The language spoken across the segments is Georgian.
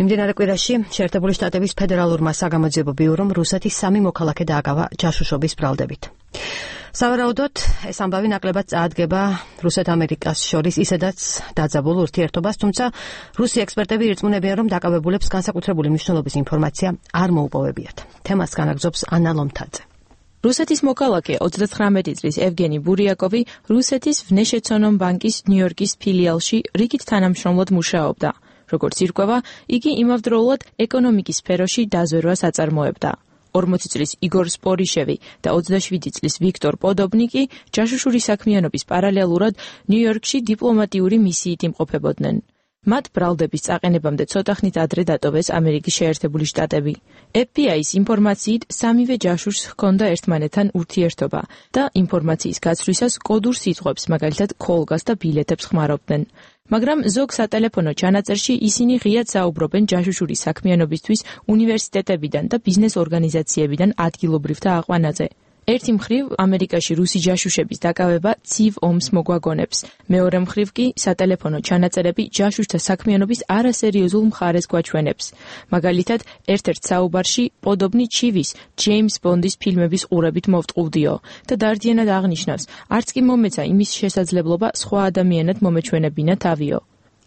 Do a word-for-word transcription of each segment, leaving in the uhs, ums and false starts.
მიმდინარე კვირაში შეერთებული შტატების ფედერალურმა საგამოძიებო ბიურომ რუსეთის სამი მოქალაქე დააგავა ჯაშუშობის ბრალდებით. სავარაუდოდ ეს ამბავი ნაკლებად წაადგება რუსეთ-ამერიკას შორის ისედაც დაძაბულ ურთიერთობას, თუმცა რუსი ექსპერტები ირწმუნებიან, რომ დაკავებულებს განსაკუთრებული მნიშვნელობის ინფორმაცია არ მოუპოვებიათ. თემას განაგრძობს ანა ლომთაძე. რუსეთის მოქალაქე ოცდათხრამეტი წლის ევგენი ბურიაკოვი რუსეთის ვნეშეცონომ ბანკის ნიუ-იორკის ფილიალში რიგით თანამშრომლად მუშაობდა. როგორც ირკვევა, იგი იმავდროულად ეკონომიკის სფეროში დაზვერვას აწარმოებდა. ორმოცი წლის იგორ სპორიშევი და ოცდაშვიდი წლის ვიქტორ პოდობნიკი ჯაშუშური საქმიანობის პარალელურად ნიუ-იორკში დიპლომატიური მისიით იმყოფებოდნენ. მათ ბრალდების წაყენებამდე ცოტახნით ადრე დატოვეს ამერიკის შეერთებული შტატები. ეფ ბი აის ინფორმაციით სამივე ჯაშუშს ჰქონდა ერთმანეთთან ურთიერთობა და ინფორმაციის გაცვლისას კოდურ სიტყვებს, მაგალითად ქოლგას და ბილეთებს ხმარობდნენ. მაგრამ ზოგ სატელეფონო ჩანაწერში ისინი ღიად საუბრობენ ჯაშუშური საქმიანობისთვის უნივერსიტეტებიდან და ბიზნეს ორგანიზაციებიდან ადგილობრივთა აყვანაზე. ერთი მხრივ ამერიკაში რუსი ჯაშუშების დაკავება ცივ ომს მოგვაგონებს. მეორე მხრივ კი სატელეფონო ჩანაწერები ჯაშუშთა საქმიანობის არასერიოზულ მხარეს გვაჩვენებს. მაგალითად, ერთ-ერთ საუბარში პოდობნი ჩივის ჯეიმს ბონდის ფილმების ყურებით მოვტყუდიო და დარდიანად აღნიშნავს, არც კი მომეცა იმის შესაძლებლობა სხვა ადამიანად მომეჩვენებინა თავიო.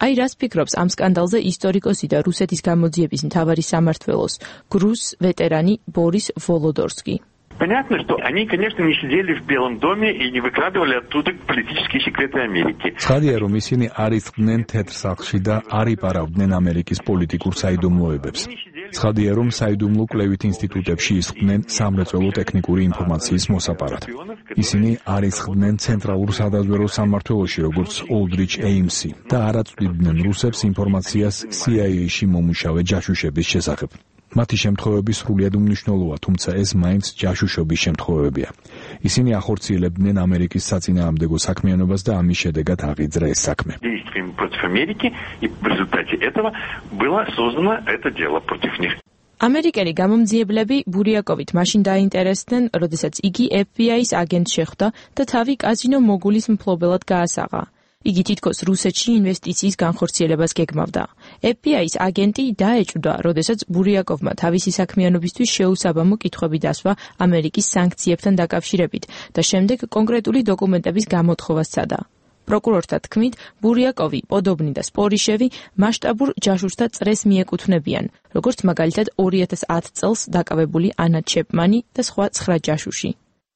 აი რას ფიქრობს ამ სკანდალზე ისტორიკოსი და რუსეთის გამოძიების მთავარი სამმართველოს გრუს ვეტერანი ბორის ვოლოდორსკი. Понятно, что они, конечно, не сидели в Белом доме и не выкладывали оттуда политические секреты Америки. Ცხადია, რომ ისინი არ იწყდნენ თეთრ სახლში და არ იპარავდნენ ამერიკის პოლიტიკურ საიდუმლოებებს. ცხადია, რომ საიდუმლო კვლევით ინსტიტუტებში ისხდნენ სამრეწველო ტექნიკური ინფორმაციის მოსაპარად. ისინი არ ისხდნენ ცენტრალურ სადაზვერვო სამმართველოში, როგორც ოლდრიჩ ეიმსი და არ აწვდიდნენ რუსებს ინფორმაციას სი აი ეი-ში მომუშავე ჯაშუშების შესახებ. მათი შემთხვევები სრულიად უმნიშვნელოა, თუმცა ეს მაინც ჯაშუშობის შემთხვევებია. ისინი ახორციელებდნენ ამერიკის საწინააღმდეგო საქმიანობას და ამის შედეგად აღიძრა ეს საქმე. ამერიკელი გამომძიებლები ბურიაკოვით მაშინ დაინტერესდნენ, როდესაც იგი ეფ ბი აის აგენტ შეხვდა და თავი კაზინო მოგულის მფლობელად გაასაღა. იგი თითქოს რუსეთში ინვესტიციის განხორციელებას გეგმავდა. ეფ ბი აის აგენტი დაეჭვდა, როდესაც ბურიაკოვმა თავისი საქმიანობისთვის შეუსაბამო კითხვები დასვა ამერიკის სანქციებთან დაკავშირებით და შემდეგ კონკრეტული დოკუმენტების გამოთხოვას სცადა. პროკურორთა თქმით, ბურიაკოვი, პოდობნი და სპორიშევი მასშტაბურ ჯაშუშთა წრეს მიეკუთვნებიან, როგორც მაგალითად ორი ათას ათი წელს დაკავებული ანა ჩეპმანი და სხვა ცხრა ჯაშუში.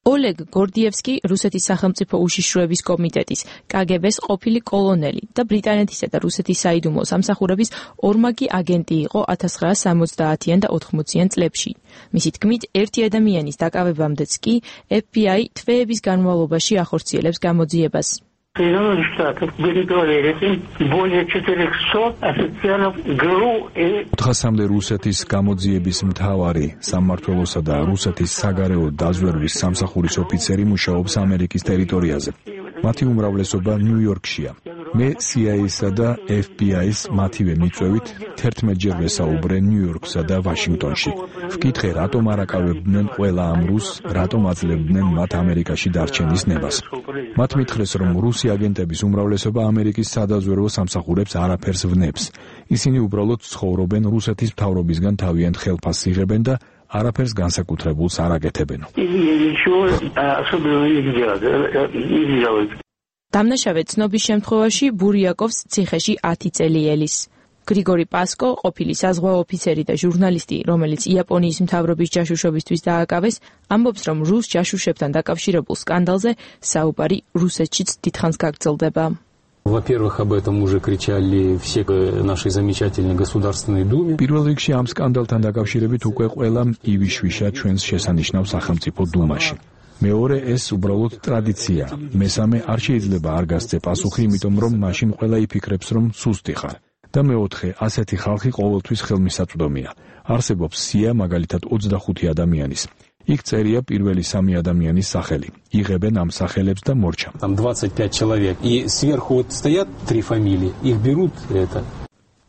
ოლეგ გორდიევსკი რუსეთის სახელმწიფო უშიშროების კომიტეტის კა გი ბეს ყოფილი კოლონელი და ბრიტანეთისა და რუსეთის საიდუმლო სამსახურების ორმაგი აგენტი იყო ათას ცხრაასი სამოცდაათიან და ოთხმოციან წლებში. მისი თქმით, ერთი ადამიანის დაკავებამდეც კი ეფ ბი აი თვეების განმავლობაში ახორციელებს გამოძიებას. Соединенных Штатов были проверены более четырехсот официальных ГРУ. ოთხასამდე რუსეთის გამოძიების მთავარი სამმართველოსა და რუსეთის საგარეო დაზვერვის სამსახურის ოფიცერი მუშაობს ამერიკის ტერიტორიაზე. მათი უმრავლესობა ნიუ-იორკშია. მე სი აი ეის-სა და ეფ ბი აის მათივე მიწვევით თერთმეტჯერ ვესაუბრე ნიუ-იორკსა და ვაშინგტონში. ვკითხე, რატომ არ აკავებდნენ ყველა ამ რუსს, რატომ აძლევდნენ მათ ამერიკაში დარჩენის ნებას. მათ მითხრეს, რომ რუსი აგენტების უმრავლესობა ამერიკის სადაზვერვო სამსახურებს არაფერს ვნებს. ისინი უბრალოდ ცხოვრობენ რუსეთის მთავრობისგან თავიანთ ხელფასს იღებენ და არაფერს განსაკუთრებულს არ აკეთებენ. დამნაშავე ცნობის შემთხვევაში ბურიაკოვს ციხეში ათი წელი ელის. გრიგორი პასკო, ყოფილი საზღვაო ოფიცერი და ჟურნალისტი, რომელიც იაპონიის მთავრობის ჯაშუშობისთვის დააკავეს, ამბობს, რომ რუს ჯაშუშებთან დაკავშირებულ სკანდალზე საუბარი რუსეთშიც დიდხანს გაგრძელდება. Во-первых, об этом уже кричали все наши замечательные государственные думы. პირველ რიგში ამ სკანდალთან დაკავშირებით უკვე ყველამ ივიშვიშა ჩვენს შესანიშნავ სახელმწიფო დუმაში. მეორე, ეს უბრალოდ ტრადიცია. მესამე, არ შეიძლება არ გასცე პასუხი, იმიტომ რომ მაშინ ყველა იფიქრებს, რომ სუსტი ხარ. და მეოთხე, ასეთი ხალხი ყოველთვის ხელმისაწვდომია. არსებობს სია, მაგალითად ოცდახუთი ადამიანის. იქ წერია პირველი სამი ადამიანის სახელი. იღებენ ამ სახელებს და მორჩა. Там двадцать пять человек. И сверху вот стоят три фамилии. Их берут это.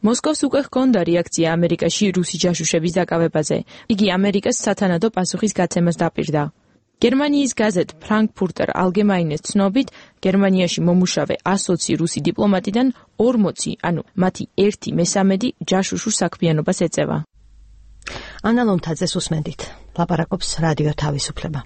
მოსკოვს უკვე ჰქონდა რეაქცია ამერიკაში რუსი ჯაშუშების დაკავებაზე. იგი ამერიკას სათანადო პასუხის გაცემას დაპირდა. გერმანიის გაზეთ Frankfurter Allgemeines ცნობით, გერმანიაში მომუშავე ასოცი რუსი დიპლომატიდან ორმოცი, ანუ მათი ერთი მესამედი ჯაშუშურ საქმიანობას ეწევა. ანა ლომთაძეს უსმენდით. ლაპარაკობს რადიო თავისუფლება.